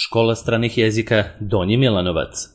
Škola stranih jezika Donji Milanovac.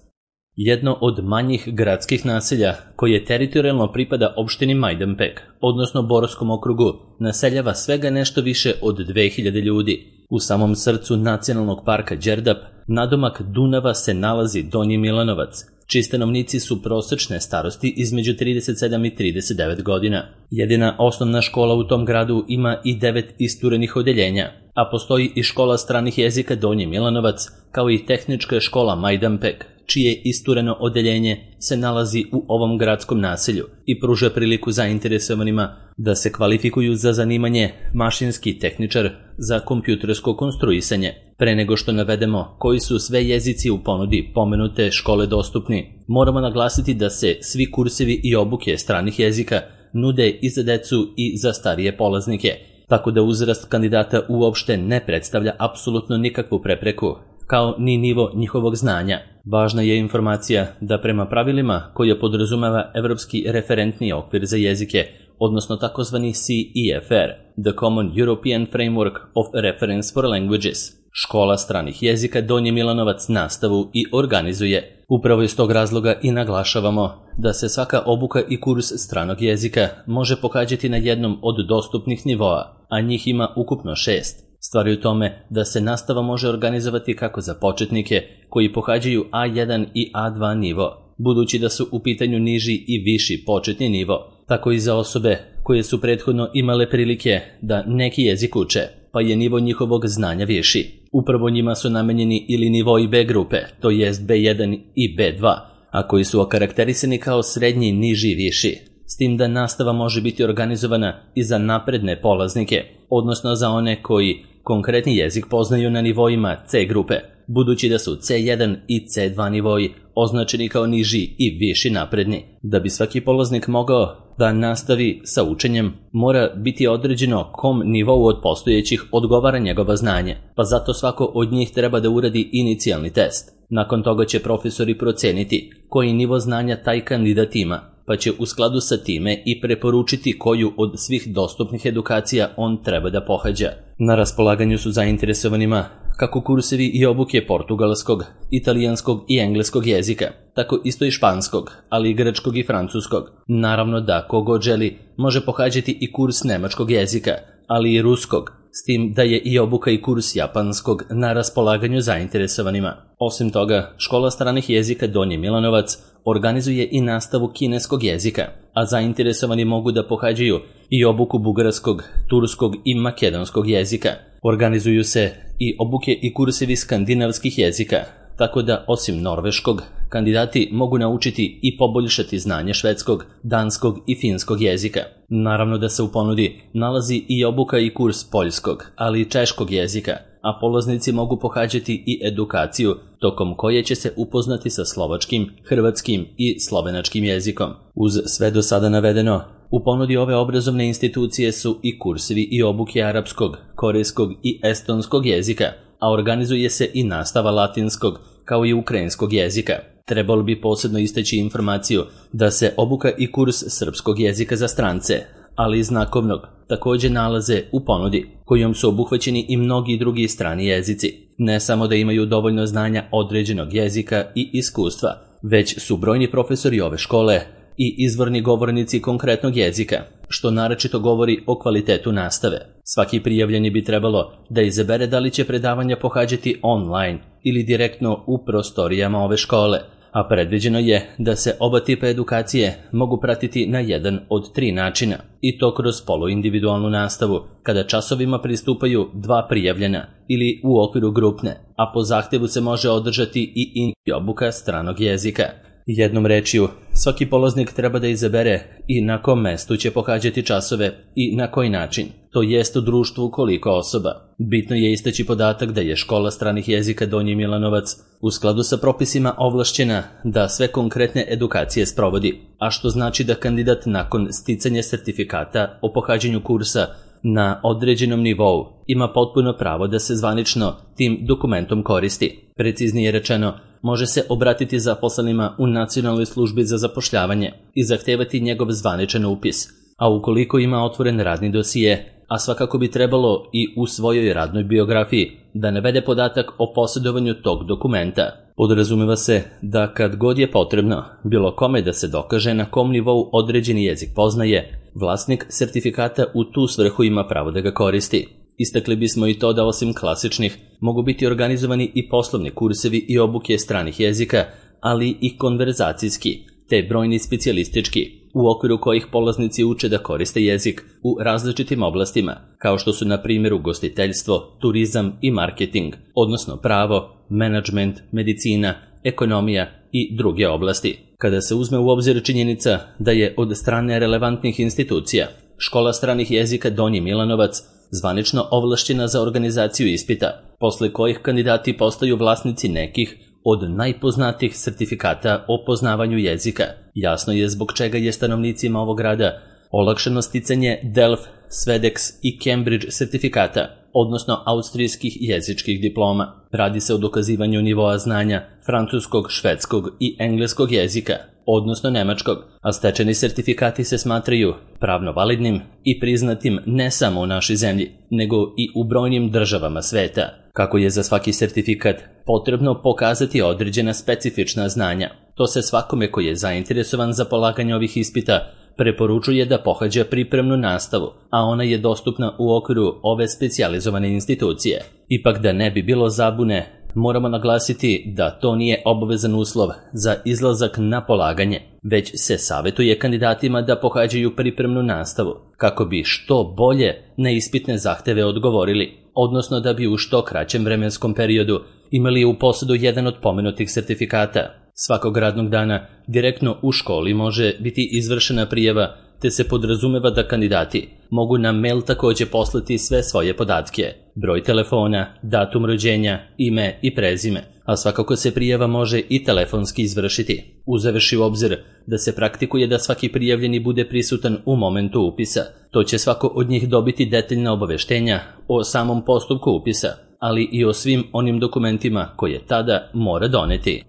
Jedno od manjih gradskih naselja koje teritorijalno pripada opštini Majdanpek, odnosno Borskom okrugu, naseljava svega nešto više od 2000 ljudi. U samom srcu nacionalnog parka Đerdap, nadomak Dunava, se nalazi Donji Milanovac, čiji stanovnici su prosečne starosti između 37 i 39 godina. Jedina osnovna škola u tom gradu ima i 9 isturenih odeljenja, a postoji i škola stranih jezika Donji Milanovac, kao i tehnička škola Majdanpek, čije istureno odeljenje se nalazi u ovom gradskom naselju i pruža priliku zainteresovanima da se kvalifikuju za zanimanje mašinski tehničar za kompjutersko konstruisanje. Pre nego što navedemo koji su sve jezici u ponudi pomenute škole dostupni, moramo naglasiti da se svi kursevi i obuke stranih jezika nude i za decu i za starije polaznike, tako da uzrast kandidata uopšte ne predstavlja apsolutno nikakvu prepreku, kao ni nivo njihovog znanja. Važna je informacija da prema pravilima koje podrazumeva Evropski referentni okvir za jezike, odnosno takozvani CEFR, The Common European Framework of Reference for Languages, škola stranih jezika Donji Milanovac nastavu i organizuje. Upravo iz tog razloga i naglašavamo da se svaka obuka i kurs stranog jezika može pohađati na jednom od dostupnih nivoa, a njih ima ukupno 6. Stvar je u tome da se nastava može organizovati kako za početnike koji pohađaju A1 i A2 nivo, budući da su u pitanju niži i viši početni nivo, tako i za osobe koje su prethodno imale prilike da neki jezik uče, pa je nivo njihovog znanja viši. Upravo njima su namenjeni ili nivoi B grupe, to jest B1 i B2, a koji su okarakterisani kao srednji, niži i viši. S tim da nastava može biti organizovana i za napredne polaznike, odnosno za one koji konkretni jezik poznaju na nivoima C grupe, budući da su C1 i C2 nivoji označeni kao niži i viši napredni. Da bi svaki polaznik mogao da nastavi sa učenjem, mora biti određeno kom nivou od postojećih odgovara njegova znanje, pa zato svako od njih treba da uradi inicijalni test. Nakon toga će profesori proceniti koji nivo znanja taj kandidat ima, pa će u skladu sa time i preporučiti koju od svih dostupnih edukacija on treba da pohađa. Na raspolaganju su zainteresovanima kako kursevi i obuke portugalskog, italijanskog i engleskog jezika, tako isto i španskog, ali i grčkog i francuskog. Naravno da kogod želi može pohađati i kurs nemačkog jezika, ali i ruskog, s tim da je i obuka i kurs japanskog na raspolaganju zainteresovanima. Osim toga, škola stranih jezika Donji Milanovac organizuje i nastavu kineskog jezika, a zainteresovani mogu da pohađaju i obuku bugarskog, turskog i makedonskog jezika. Organizuju se i obuke i kursevi skandinavskih jezika, tako da osim norveškog, kandidati mogu naučiti i poboljšati znanje švedskog, danskog i finskog jezika. Naravno da se u ponudi nalazi i obuka i kurs poljskog, ali i češkog jezika, a polaznici mogu pohađati i edukaciju tokom koje će se upoznati sa slovačkim, hrvatskim i slovenačkim jezikom. Uz sve do sada navedeno, u ponudi ove obrazovne institucije su i kursevi i obuke arapskog, korejskog i estonskog jezika, a organizuje se i nastava latinskog kao i ukrajinskog jezika. Trebalo bi posebno istaći informaciju da se obuka i kurs srpskog jezika za strance, ali i znakovnog, također nalaze u ponudi, kojom su obuhvaćeni i mnogi drugi strani jezici. Ne samo da imaju dovoljno znanja određenog jezika i iskustva, već su brojni profesori ove škole i izvorni govornici konkretnog jezika, što naročito govori o kvalitetu nastave. Svaki prijavljeni bi trebalo da izabere da li će predavanja pohađati online ili direktno u prostorijama ove škole, a predviđeno je da se oba tipa edukacije mogu pratiti na jedan od 3 načina, i to kroz poluindividualnu nastavu, kada časovima pristupaju 2 prijavljena, ili u okviru grupne, a po zahtevu se može održati i obuka stranog jezika. Jednom rečju, svaki polaznik treba da izabere i na kom mestu će pohađati časove i na koji način, to jest u društvu koliko osoba. Bitno je istaći podatak da je škola stranih jezika Donji Milanovac u skladu sa propisima ovlašćena da sve konkretne edukacije sprovodi, a što znači da kandidat nakon sticanja sertifikata o pohađanju kursa na određenom nivou ima potpuno pravo da se zvanično tim dokumentom koristi. Preciznije rečeno, može se obratiti zaposlenima u Nacionalnoj službi za zapošljavanje i zahtevati njegov zvaničan upis, a ukoliko ima otvoren radni dosije, a svakako bi trebalo i u svojoj radnoj biografiji da navede podatak o posjedovanju tog dokumenta. Podrazumeva se da kad god je potrebno bilo kome da se dokaže na kom nivou određeni jezik poznaje, vlasnik sertifikata u tu svrhu ima pravo da ga koristi. Istakli bismo i to da osim klasičnih mogu biti organizovani i poslovni kursevi i obuke stranih jezika, ali i konverzacijski, te brojni specijalistički, u okviru kojih polaznici uče da koriste jezik u različitim oblastima, kao što su na primjer ugostiteljstvo, turizam i marketing, odnosno pravo, menadžment, medicina, ekonomija i druge oblasti. Kada se uzme u obzir činjenica da je od strane relevantnih institucija Škola stranih jezika Donji Milanovac zvanično ovlašćena za organizaciju ispita, posle kojih kandidati postaju vlasnici nekih od najpoznatijih sertifikata o poznavanju jezika, jasno je zbog čega je stanovnicima ovog grada olakšano sticanje DELF, SVEDEX i Cambridge sertifikata, odnosno austrijskih jezičkih diploma. Radi se o dokazivanju nivoa znanja francuskog, švedskog i engleskog jezika, odnosno nemačkog, a stečeni sertifikati se smatraju pravno validnim i priznatim ne samo u našoj zemlji, nego i u brojnim državama sveta. Kako je za svaki sertifikat potrebno pokazati određena specifična znanja, to se svakome koji je zainteresovan za polaganje ovih ispita preporučuje da pohađa pripremnu nastavu, a ona je dostupna u okviru ove specijalizovane institucije. Ipak da ne bi bilo zabune, moramo naglasiti da to nije obavezan uslov za izlazak na polaganje, već se savjetuje kandidatima da pohađaju pripremnu nastavu, kako bi što bolje na ispitne zahteve odgovorili, odnosno da bi u što kraćem vremenskom periodu imali u posjedu jedan od pomenutih sertifikata. Svakog radnog dana direktno u školi može biti izvršena prijava, te se podrazumeva da kandidati mogu na mail također poslati sve svoje podatke, broj telefona, datum rođenja, ime i prezime, a svakako se prijava može i telefonski izvršiti, uzevši u obzir da se praktikuje da svaki prijavljeni bude prisutan u momentu upisa. To će svako od njih dobiti detaljna obaveštenja o samom postupku upisa, ali i o svim onim dokumentima koje tada mora doneti.